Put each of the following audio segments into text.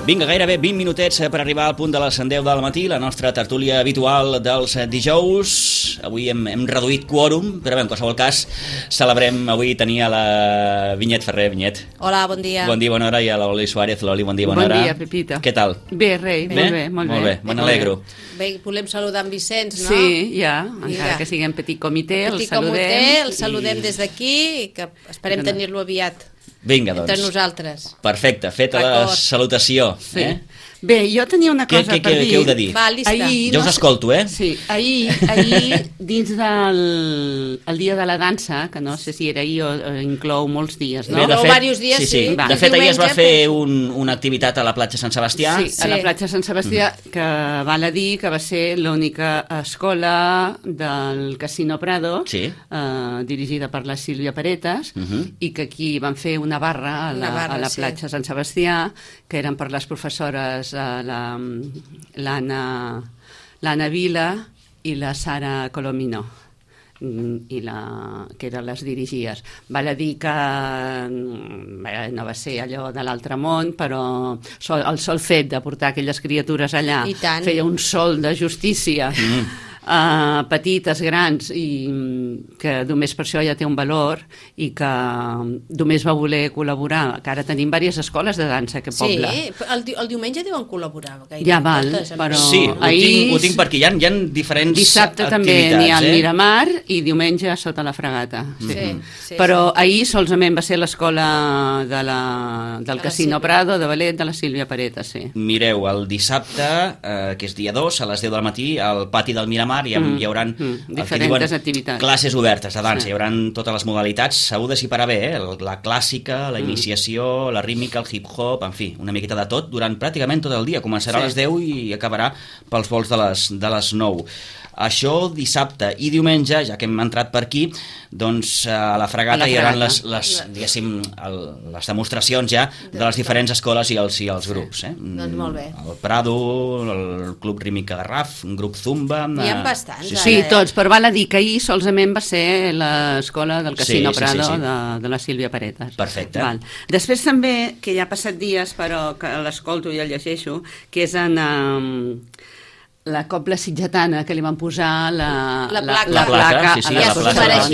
Vinga, gairebé 20 minutets per arribar al punt de les 10 del matí, la nostra tertúlia habitual dels dijous. Avui hem reduït quòrum, però bé, en qualsevol cas celebrem avui tenir a la Vinyet Ferrer. Vinyet. Hola, bon dia. Bon dia, bona hora, i a l'Oli Suárez. L'Oli, bon dia, bona hora. Bon dia, Pepita. Què tal? Bé, rei, molt bé. Molt bé, me n'alegro. Bé, volem saludar en Vicenç, no? Sí, ja, encara que siguem petit comitè, el saludem. El saludem des d'aquí i que esperem tenir-lo aviat. Vinga, doncs. Entre nosaltres. Perfecte, feta la salutació. Sí. Bé, jo tenia una cosa per dir. Què heu de dir? Va, llista. Jo us escolto, Sí, ahir dins del dia de la dansa, que no sé si era ahir o inclou molts dies, no? Bé, de fet, diversos dies, sí. De fet, ahir es va fer una activitat a la platja Sant Sebastià. Sí, a la platja Sant Sebastià, que val a dir que va ser l'única escola del Casino Prado, dirigida per la Sílvia Paretas, i que aquí van fer una barra a la platja Sant Sebastià, que eren per les professores l'Anna Vila i la Sara Colomino, que eren les dirigies. Val a dir que no va ser allò de l'altre món, però el sol fet de portar aquelles criatures allà feia un sol de justícia, petites, grans, i que només per això ja té un valor, i que només va voler col·laborar, que ara tenim diverses escoles de dansa a aquest poble. Sí, el diumenge deuen col·laborar. Ja val, però sí, ho tinc per aquí, hi ha diferents dissabte activitats. També n'hi ha al Miramar i diumenge sota la Fregata. Però ahir solament va ser l'escola del Casino Prado, de ballet, de la Sílvia Paretas. Mireu, el dissabte, que és dia 2, a les 10 del matí, al pati del Miramar hi haurà diferents activitats, classes obertes de dansa, hi haurà totes les modalitats, segur de si parar bé, la clàssica, la iniciació, la rítmica, el hip-hop, en fi, una miqueta de tot durant pràcticament tot el dia, començarà a les 10 i acabarà pels vols de les 9. Això dissabte i diumenge, ja que hem entrat per aquí, doncs a la Fregata hi haurà les demostracions ja de les diferents escoles i els grups. Doncs molt bé. El Prado, el Club Rítmica Garraf, un grup Zumba... N'hi ha bastants. Sí, tots, però val a dir que ahir solament va ser l'escola del Casino Prado de la Sílvia Paretas. Perfecte. Després també, que ja ha passat dies, però que l'escolto i el llegeixo, que és en la cobla sitgetana, que li van posar la placa a les professores,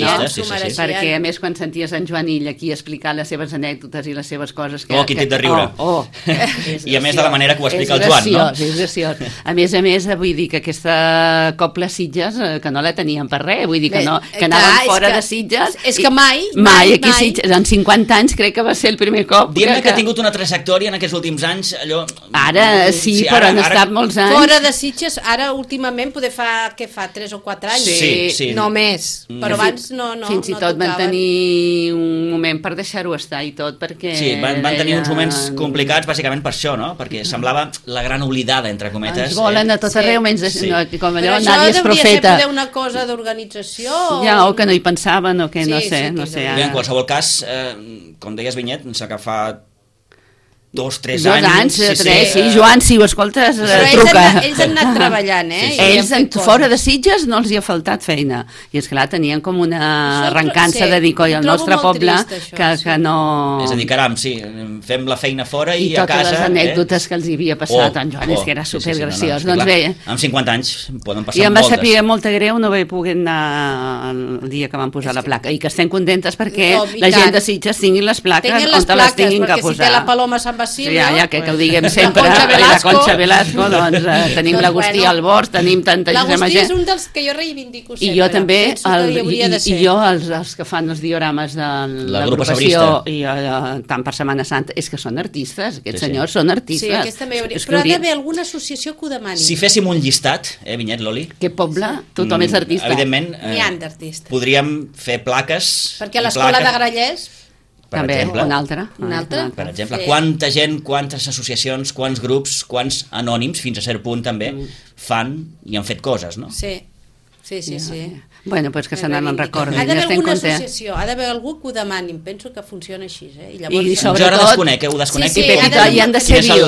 perquè a més quan senties en Joan aquí explicar les seves anècdotes i les seves coses... Quin tip de riure! I a més de la manera que ho explica el Joan, no? És graciós. A més, vull dir que aquesta cobla Sitges, que no la tenien per res, vull dir que anaven fora de Sitges... És que mai aquí Sitges, en 50 anys crec que va ser el primer cop... Diguem que ha tingut una trajectòria en aquests últims anys, allò... Ara sí, però han estat molts anys... Fora de Sitges, ara últimament poder fa 3 o 4 anys, no més, però abans no fins i tot van tenir un moment per deixar-ho estar i tot, perquè... Sí, van tenir uns moments complicats bàsicament per això, no? Perquè semblava la gran oblidada, entre cometes. Ens volen a tot arreu, menys com allò, nadie és profeta. Però això hauria de ser una cosa d'organització... Ja, o que no hi pensaven, o que no sé. En qualsevol cas, com deies, Vinyet, s'ha 2-3 anys, Joan, si ho escoltes, truca. Ells han anat treballant, Ells, fora de Sitges, no els hi ha faltat feina. I esclar, tenien com una arrencança de dir, coi, al nostre poble, que no... És a dir, caram, fem la feina fora i a casa... I totes les anècdotes que els hi havia passat en Joan, és que era supergraciós. Doncs bé... Amb 50 anys poden passar moltes. I em va saber molt greu no haver pogut anar el dia que van posar la placa. I que estem contentes perquè la gent de Sitges tinguin les plaques on te les tinguin que posar. Perquè si té la Paloma Sant Basilio... Ja que ho diguem sempre, la Concha Velasco, doncs tenim l'Agustí Albors, tenim tanta gent. L'Agustí és un dels que jo reivindico sempre. I jo també, els que fan els diorames de l'agrupació, i tant per Setmana Santa, és que són artistes, aquests senyors són artistes. Sí, aquesta també hauria... Però ha d'haver alguna associació que ho demani. Si féssim un llistat, Vinyet, Loli... Que poble, tothom és artista. Evidentment, podríem fer plaques... Perquè l'escola de Grallers... També, una altra. Per exemple, quanta gent, quantes associacions, quants grups, quants anònims, fins a cert punt també, fan i han fet coses, no? Sí. Sí. Bueno, doncs que se n'en recordin. Ha d'haver alguna associació, ha d'haver algú que ho demanin, penso que funciona així. I llavors... Jo ara desconec, ho desconec. I han de ser vius,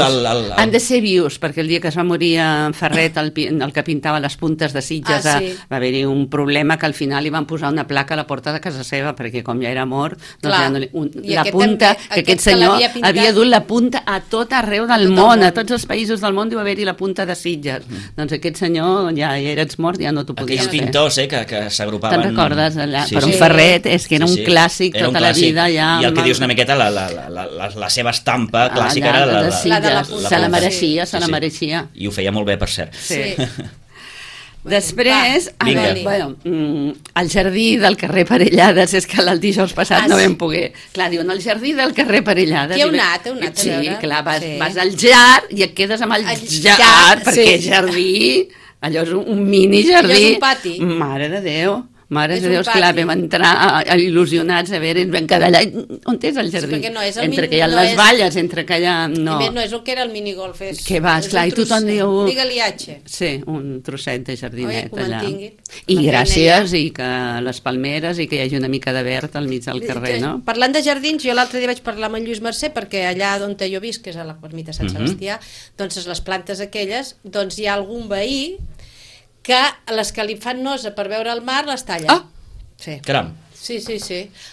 han de ser vius, perquè el dia que es va morir en Ferret, el que pintava les puntes de Sitges, va haver-hi un problema que al final li van posar una placa a la porta de casa seva, perquè com ja era mort, la punta, que aquest senyor havia dut la punta a tot arreu del món, a tots els països del món diu haver-hi la punta de Sitges. Doncs aquest senyor ja eres mort, ja no t'ho podies fer. Aquells pintors que s'agrupaven... Te'n recordes? Per un Ferret, és que era un clàssic tota la vida. I el que dius una miqueta, la seva estampa clàssica era la de la punta. Se la mereixia. I ho feia molt bé, per cert. Sí. Després, el jardí del carrer Parellades, és que el dijous passat no vam poder. Clar, diuen, el jardí del carrer Parellades. Qui heu anat? Sí, clar, vas al jar i et quedes amb el jar, perquè jardí... Allò és un mini jardí. Allò és un pati. Mare de Déu. Mare de Déu, clar, vam entrar il·lusionats a veure, vam quedar allà. On és el jardí? Entre que hi ha les valles, entre que hi ha... No és el que era el minigolf. Que vas, clar, i tothom diu... Digue-li H. Sí, un trosset de jardinet allà. I gràcies, i que les palmeres, i que hi hagi una mica de verd al mig del carrer, no? Parlant de jardins, jo l'altre dia vaig parlar amb en Lluís Mercè, perquè allà on jo visc, que és a la ermita Sant Sebastià, doncs les plantes aquelles, doncs hi ha algun veí que les que li fan nosa per veure el mar les talla. Caram. Sí.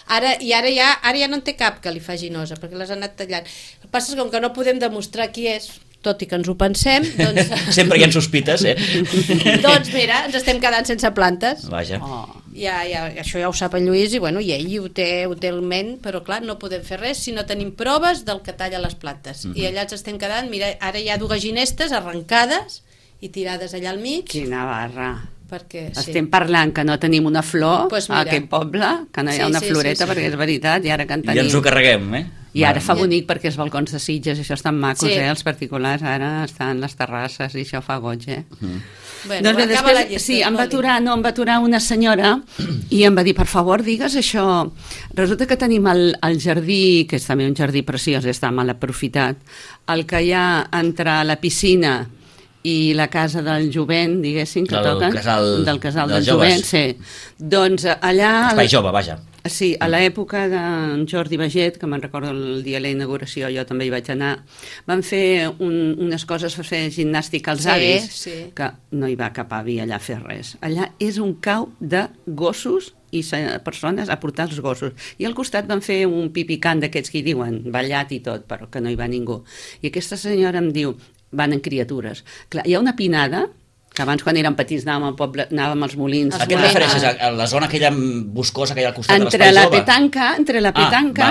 Ara ja no en té cap que li faci nosa, perquè les han anat tallant. El que passa és que com que no podem demostrar qui és, tot i que ens ho pensem, doncs... Sempre hi ha sospites, Doncs mira, ens estem quedant sense plantes. Vaja. Això ja ho sap en Lluís, i bueno, i ell ho té en ment, però clar, no podem fer res si no tenim proves del que talla les plantes. I allà ens estem quedant, mira, ara hi ha dues ginestes arrencades i tirades allà al mig. Quina barra. Perquè, estem parlant que no tenim una flor a aquest poble, que no hi ha una floreta, perquè és veritat, i ara que en tenim... I ens ho carreguem, I ara fa bonic perquè els balcons de Sitges, això estan macos, els particulars, ara estan les terrasses i això fa goig, Bueno, doncs després, llista, em va aturar una senyora i em va dir, per favor, digues això. Resulta que tenim el jardí, que és també un jardí preciós, està mal aprofitat, el que hi ha entre la piscina i la casa del jovent, diguéssim, que toquen, del casal del jovent, sí. Doncs allà... Espai jove, vaja. Sí, a l'època d'en Jordi Baget, que me'n recordo el dia de la inauguració, jo també hi vaig anar, van fer unes coses per fer gimnàstica als avis, que no hi va cap avi allà a fer res. Allà és un cau de gossos i persones a portar els gossos. I al costat van fer un pipicant d'aquests que hi diuen, ballat i tot, però que no hi va ningú. I aquesta senyora em diu, van en criatures. Clar, hi ha una pinada, que abans quan érem petits anàvem al poble, anàvem als molins. A què et refereixes? A la zona aquella boscosa que hi ha al costat de l'espai jove? Entre la petanca,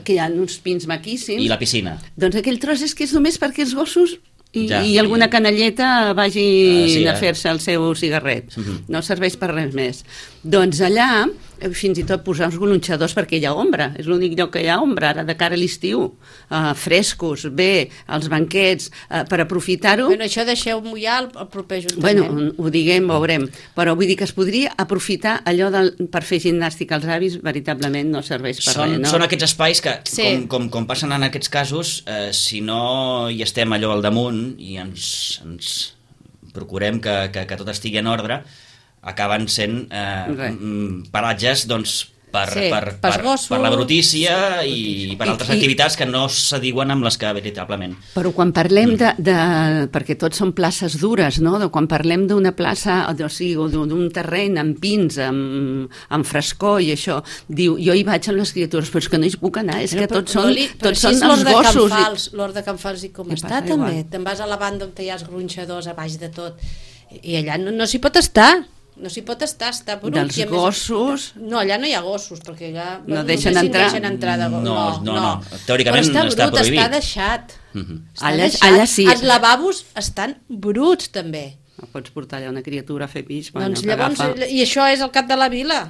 que hi ha uns pins maquíssims. I la piscina. Doncs aquell tros és que és només perquè els gossos i alguna canalleta vagi a fer-se el seu cigarret. No serveix per res més. Doncs allà, fins i tot posar uns gronxadors perquè hi ha ombra. És l'únic lloc que hi ha ombra, ara de cara a l'estiu. Frescos, bé, els banquets, per aprofitar-ho. Bueno, això deixeu mullar el proper ajuntament. Bueno, ho diguem, veurem. Però vull dir que es podria aprofitar allò per fer gimnàstica als avis, veritablement no serveix per res. No? Són aquests espais que, com passen en aquests casos, si no hi estem allò al damunt i ens procurem que tot estigui en ordre, acaben sent paratges per la brutícia i per altres activitats que no s'adiuen amb les que veritablement. Però quan parlem perquè tots són places dures, no? Quan parlem d'una plaça, o sigui, d'un terreny amb pins, amb frescor i això, diu, jo hi vaig amb les criatures, però és que no hi puc anar, és que tots són els gossos. L'Hort de Can Fals i com està també. Te'n vas a la banda on hi ha els gronxadors a baix de tot i allà no s'hi pot estar. No s'hi pot estar, està brut. Dels gossos... No, allà no hi ha gossos, perquè allà... No deixen entrar? No. Teòricament està prohibit. Però està deixat. Allà sí. Els lavabos estan bruts, també. No pots portar allà una criatura a fer pis. Doncs llavors, i això és al cap de la vila.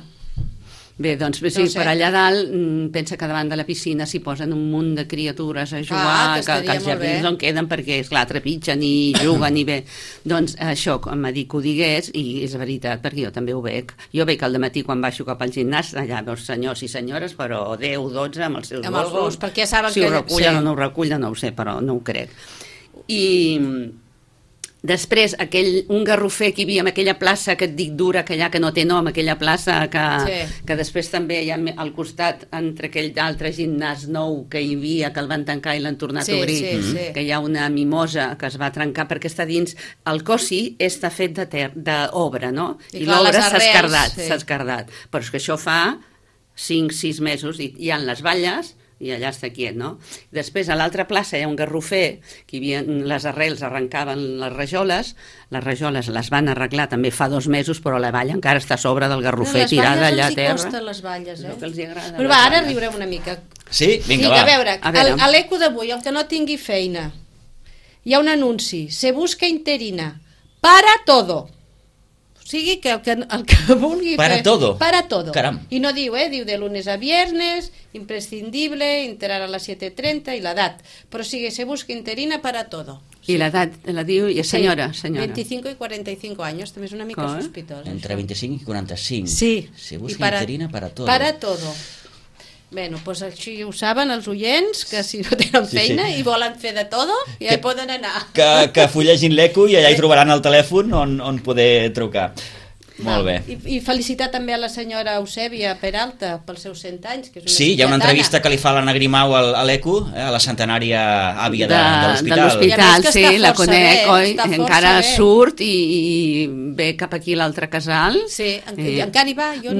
Bé, doncs sí, per allà dalt pensa que davant de la piscina s'hi posen un munt de criatures a jugar, que els jardins on queden perquè, esclar, trepitgen i juguen i bé. Doncs això, em va dir que ho digués, i és veritat, perquè jo també ho veig. Jo veig al dematí quan baixo cap al gimnàs, allà veus senyors i senyores, però 10, 12 amb els seus gossos. Perquè ja saben si ho recullen o no ho recullen, no ho sé, però no ho crec. I Després, un garrofer que hi havia en aquella plaça que et dic dura, que allà que no té nom, aquella plaça que després també hi ha al costat, entre aquell d'altre gimnàs nou que hi havia, que el van tancar i l'han tornat a obrir, que hi ha una mimosa que es va trencar perquè està dins. El cossi està fet d'obra, no? I l'obra s'ha escardat. Però és que això fa 5-6 mesos i hi ha les valles i allà està quiet, no? Després, a l'altra plaça hi ha un garrofer, que hi havia les arrels, arrencaven les rajoles les van arreglar també fa 2 mesos, però la valla encara està a sobre del garrofer, tirada allà a terra. Les valles els hi costen les valles, No que els agrada. Però va, ara riurem una mica. Sí? Vinga, va. A veure, a l'eco d'avui, el que no tingui feina, hi ha un anunci, se busca interina, para todo. O sigui que el que vulgui para fer... todo. Para todo. Caram. I no diu, diu de lunes a viernes, imprescindible, entrar a les 7:30 i l'edat. Però sigui, se busca interina para todo. I l'edat la diu, i senyora. 25 i 45 anys, també és una mica sospitós. Entre 25 i 45. Sí. Se busca interina para todo. Para todo. Bueno, doncs així ho saben els oients, que si no tenen feina i volen fer de todo, ja hi poden anar. Que fullegin l'eco i allà hi trobaran el telèfon on poder trucar. Molt bé. I felicitar també a la senyora Eusèbia Peralta pels seus 100 anys, que és una Sí, hi ha una entrevista que li fa l'Anna Grimau a l'ECO, a la centenària àvia de l'hospital. De l'hospital, sí, la conec, oi? Encara surt i ve cap aquí l'altre casal. Sí, encara hi va. Jo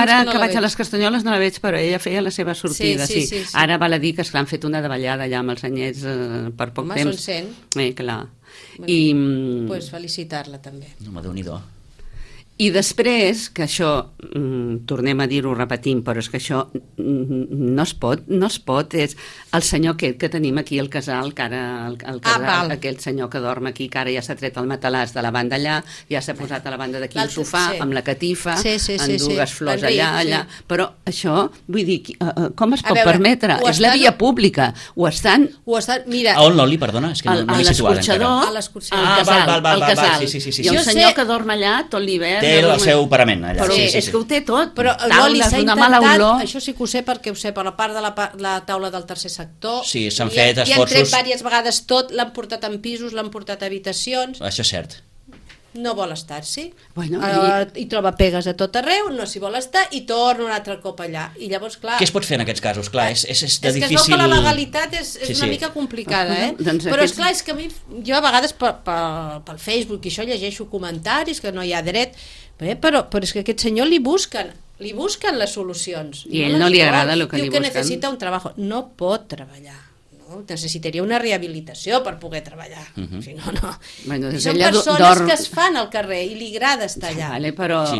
ara que vaig a les Castanyoles no la veig, però ella feia la seva sortida, sí. Ara val a dir que han fet una davallada allà amb els anyets per poc temps. Home, són 100. Clar. Doncs felicitar-la també. Home, Déu-n'hi-do. I després, que això, tornem a dir-ho, repetim, però és que això no es pot, és el senyor aquest que tenim aquí al casal, que ara aquell senyor que dorm aquí, que ara ja s'ha tret el matalàs de la banda allà, ja s'ha posat a la banda d'aquí el sofà, amb la catifa, amb dues flors allà, però això, vull dir, com es pot permetre? És la via pública, ho estan... Mira... A on, Loli, perdona? És que no m'he situat encara. A l'escorxador, al casal. I el senyor que dorm allà tot l'hivern... Té el seu parament allà. Però és que ho té tot. Però Loli s'ha intentat, això sí que ho sé perquè ho sé, per la part de la taula del tercer sector. Sí, s'han fet esforços. I han tret diverses vegades tot, l'han portat en pisos, l'han portat a habitacions. Això és cert. No vol estar-s'hi. I troba pegues a tot arreu, no s'hi vol estar i torna un altre cop allà. I llavors, clar... Què es pot fer en aquests casos? Clar, és de difícil... És que es veu que la legalitat és una mica complicada, Però esclar, és que a mi, jo a vegades pel Facebook i això llegeixo comentaris que no hi ha dret, però és que a aquest senyor li busquen les solucions. I a ell no li agrada el que li busquen. Diu que necessita un treball. No pot treballar. Necessitaria una rehabilitació per poder treballar. Si no, no. Són persones que es fan al carrer i li agrada estar allà.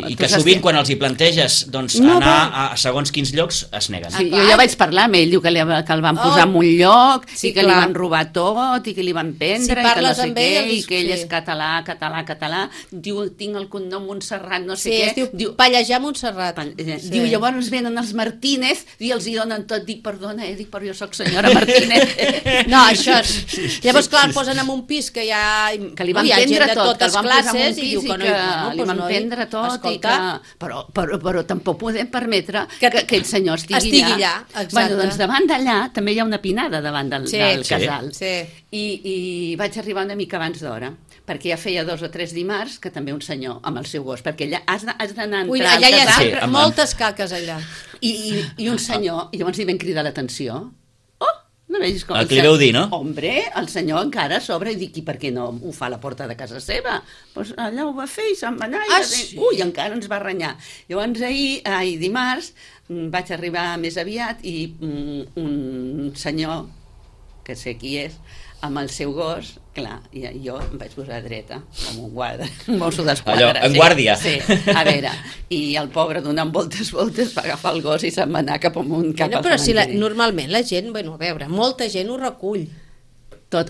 I que sovint quan els hi planteges anar a segons quins llocs es neguen. Jo ja vaig parlar amb ell, diu que el van posar en un lloc i que li van robar tot i que li van prendre i que no sé què, i que ell és català. Diu, tinc el cognom Montserrat, no sé què. Diu, Pallejà Montserrat. Diu, llavors venen els Martínez i els hi donen tot. Dic, perdona, però jo soc senyora Martínez. No, això és... Llavors, clar, el posen en un pis que hi ha gent de totes classes i diu que no... Li van prendre tot i que... Però tampoc podem permetre que aquell senyor estigui allà. Doncs davant d'allà també hi ha una pinada davant del casal. I vaig arribar una mica abans d'hora, perquè ja feia 2 o 3 dimarts que també un senyor amb el seu gos, perquè allà has d'anar a entrar al casal. Allà hi ha moltes caques allà. I un senyor, i llavors li van cridar l'atenció. No vegis com el que li veu dir, no? Hombre, el senyor encara a sobre i dic, i per què no ho fa a la porta de casa seva? Doncs allà ho va fer i se'n va anar i encara ens va renyar. Llavors dimarts vaig arribar més aviat i un senyor, que sé qui és, amb el seu gos, clar, i jo em vaig posar dreta, com un guarda, un mosso d'esquadra. Allò, en guàrdia. Sí, a veure, i el pobre donant voltes va agafar el gos i se'n va anar cap al però si normalment la gent, a veure, molta gent ho recull.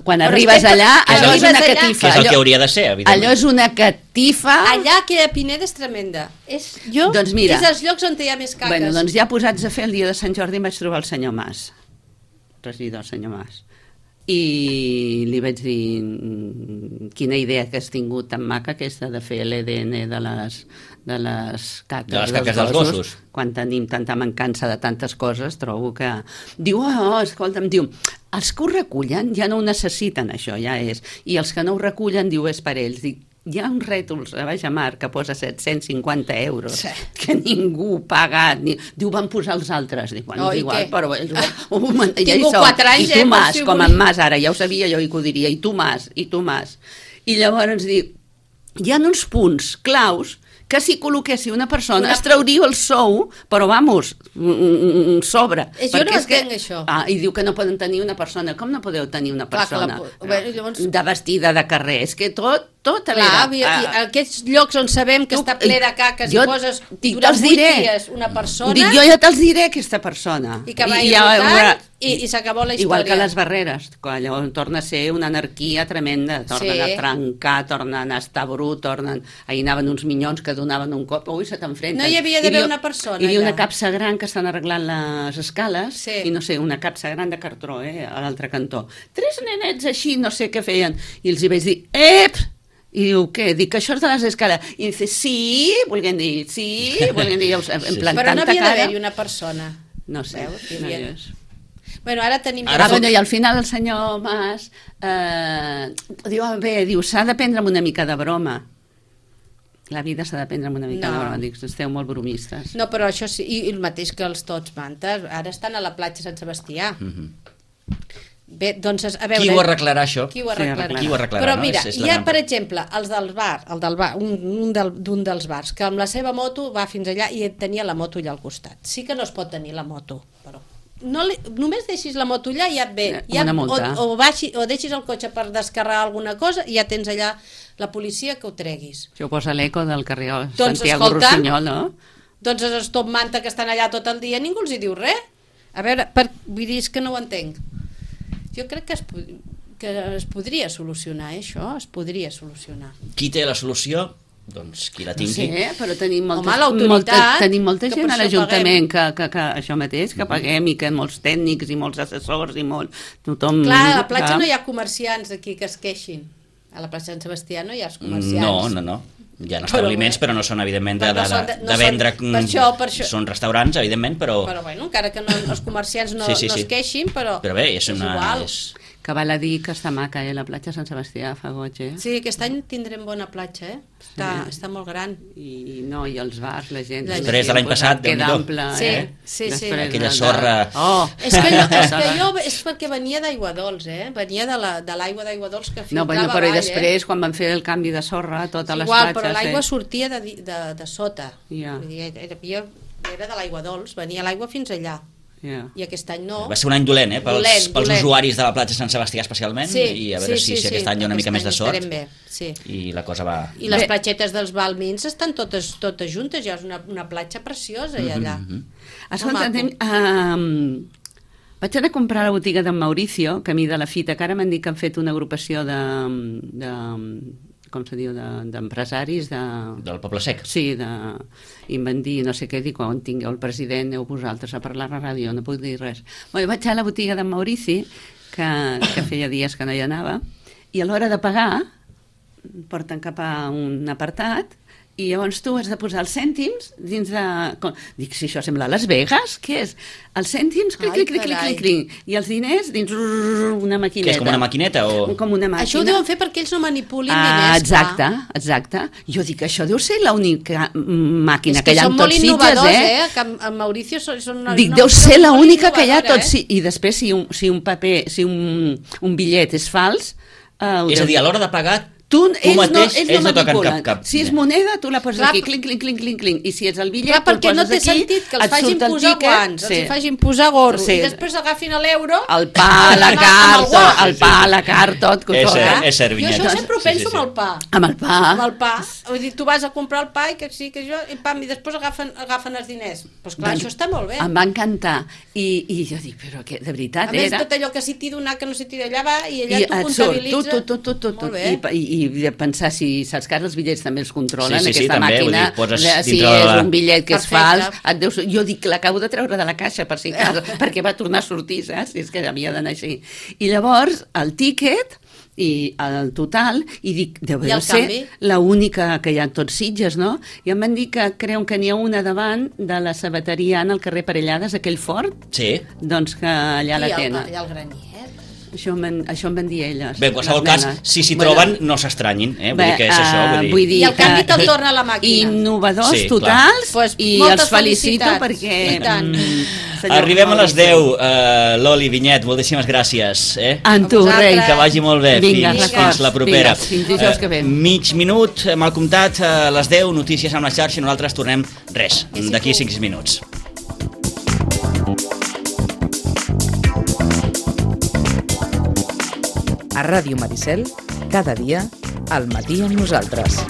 Quan arribes allà, allò és una catifa. Que és el que hauria de ser, evidentment. Allò és una catifa. Allà que a Pineda és tremenda. És els llocs on hi ha més caques. Doncs ja posats a fer el dia de Sant Jordi em vaig trobar el senyor Mas, regidor senyor Mas. I li vaig dir quina idea que has tingut tan maca aquesta de fer l'EDN de les caques dels gossos. Quan tenim tanta mancança de tantes coses, trobo que... Diu, escolta'm, diu, els que ho recullen ja no ho necessiten, això ja és. I els que no ho recullen, diu, és per ells. Dic, hi ha uns rètols a Baix Mar que posa 750 euros, que ningú paga. Diu, van posar els altres. Dic, bueno, igual, però ells tinc 4 anys, i tu Mas, com en Mas, ara ja ho sabia jo i que ho diria, i tu Mas. I llavors dic, hi ha uns punts claus que si col·loquessi una persona es trauria el sou, però vamos, sobre. Jo no entenc això. I diu que no poden tenir una persona. Com no podeu tenir una persona de vestida de carrer? És que tot a veure... Aquests llocs on sabem que està ple de caques i poses durant 8 dies una persona... Dic, jo ja te'ls diré aquesta persona. I que va irrotant i s'acabó la història. Igual que les barreres, que allò torna a ser una anarquia tremenda, tornen a trencar, tornen a estar brut, ahir anaven uns minyons que donaven un cop, ui, se t'enfrenten. No hi havia d'haver una persona. Hi havia una capsa gran que estan arreglant les escales, i no sé, una capsa gran de cartró, a l'altre cantó. 3 nenets així, no sé què feien, i els hi vaig dir, i diu, què? Dic que això és de les escales. I dice, sí, volguem dir, en plan, però no havia d'haver-hi una persona. No sé, no hi és. Bueno, ara tenim... I al final el senyor Mas diu, s'ha de prendre amb una mica de broma. La vida s'ha de prendre amb una mica de broma. Dic, esteu molt bromistes. No, però això sí, i el mateix que els Tots Mantes, ara estan a la platja Sant Sebastià. Bé, doncs, a veure... Qui ho arreglarà, això? Qui ho arreglarà? Però mira, hi ha, per exemple, els del bar, d'un dels bars, que amb la seva moto va fins allà i tenia la moto allà al costat. Sí que no es pot tenir la moto, però... només deixis la moto allà i ja et ve. O deixis el cotxe per descarregar alguna cosa i ja tens allà la policia que ho treguis. Això ho posa l'eco del carrer Santiago Rossinyol, no? Doncs els Top Manta que estan allà tot el dia, ningú els hi diu res. A veure, vull dir, és que no ho entenc. Jo crec que es podria solucionar, això, es podria solucionar. Qui té la solució? Doncs qui la tingui. No sé, però tenim molta gent a l'Ajuntament que això mateix, que paguem i que molts tècnics i molts assessors i tothom... Clar, a la platja no hi ha comerciants aquí que es queixin. A la platja de Sant Sebastià no hi ha els comerciants. No. Hi ha establiments, però no són, evidentment, de vendre... Per això. Són restaurants, evidentment, però... Però, bueno, encara que els comerciants no es queixin, però... Però bé, és igual. Que val a dir que està maca, la platja de Sant Sebastià fa goig, Sí, aquest any tindrem bona platja, Està molt gran. I els bars, la gent... Després de l'any passat, Déu-n'hi-do. Sí. Aquella sorra... És que jo és perquè venia d'Aigua Dols, Venia de l'aigua d'Aigua Dols que filtrava avall. Però i després, quan van fer el canvi de sorra, totes les platges... Però l'aigua sortia de sota. Era de l'Aigua Dols, venia l'aigua fins allà. I aquest any no. Va ser un any dolent, pels usuaris de la platja de Sant Sebastià especialment, i a veure si aquest any hi ha una mica més de sort. I la cosa va... I les platgetes dels Balmins estan totes juntes, ja és una platja preciosa allà. Escolta, vaig anar a comprar a la botiga d'en Mauricio, que a mi de la fita, que ara m'han dit que han fet una agrupació com se diu, d'empresaris del Poble Sec. Sí, i em van dir, no sé què, dic, quan tingueu el president, aneu vosaltres a parlar a la ràdio, no puc dir res. Vaig a la botiga d'en Maurici, que feia dies que no hi anava, i a l'hora de pagar porten cap a un apartat i llavors tu has de posar els cèntims dins de... Dic, si això sembla Las Vegas, què és? Els cèntims, clic, i els diners dins una maquineta. Que és com una maquineta? Com una màquina. Això ho deuen fer perquè ells no manipulin diners. Exacte. Jo dic, això deu ser l'única màquina que hi ha amb tots Sitges, És que són molt innovadors, que amb Mauricio són... Dic, deu ser l'única que hi ha tots... I després, si un paper, si un bitllet és fals... És a dir, a l'hora de pagar... Ells no toquen cap. Si és moneda, tu la poses aquí, clinc, i si és el bitllet, tu el poses aquí, no té sentit que els facin posar guants, els facin posar gorro, i després agafin l'euro... El pa, la carta, tot. És servinyet. Jo això sempre ho penso amb el pa. Amb el pa. Vull dir, tu vas a comprar el pa i que sí, que jo, i després agafen els diners. Doncs clar, això està molt bé. Em va encantar. I jo dic, però que de veritat era... A més, tot allò que s'hi t'hi donar, que no s'hi t'hi d'allà va, i allà tu comptabilitzes. Tot. I pensar si saps que els bitllets també els controlen, aquesta també, màquina, si és un bitllet que és fals, jo dic, l'acabo de treure de la caixa per si cas, perquè va tornar a sortir, saps? Si és que havia d'anar així. I llavors, el tíquet i el total, i dic, deu de ser l'única que hi ha tot Sitges, no? I em van dir que creuen que n'hi ha una davant de la sabateria al carrer Parellades, aquell fort, doncs que allà la tenen. I el granier. Això em van dir elles. Bé, en qualsevol cas, si s'hi troben, no s'estranyin. Vull dir que és això. I el canvi te'l torna a la màquina. Innovadors totals, i els felicito perquè... Arribem a les 10. Loli Vinyet, moltíssimes gràcies. En tu, rei. Que vagi molt bé. Fins la propera. Fins dijous que ve. Mig minut, mal comptat, a les 10, notícies amb la xarxa, i nosaltres tornem d'aquí 5 minuts. A Ràdio Maricel, cada dia, al matí amb nosaltres.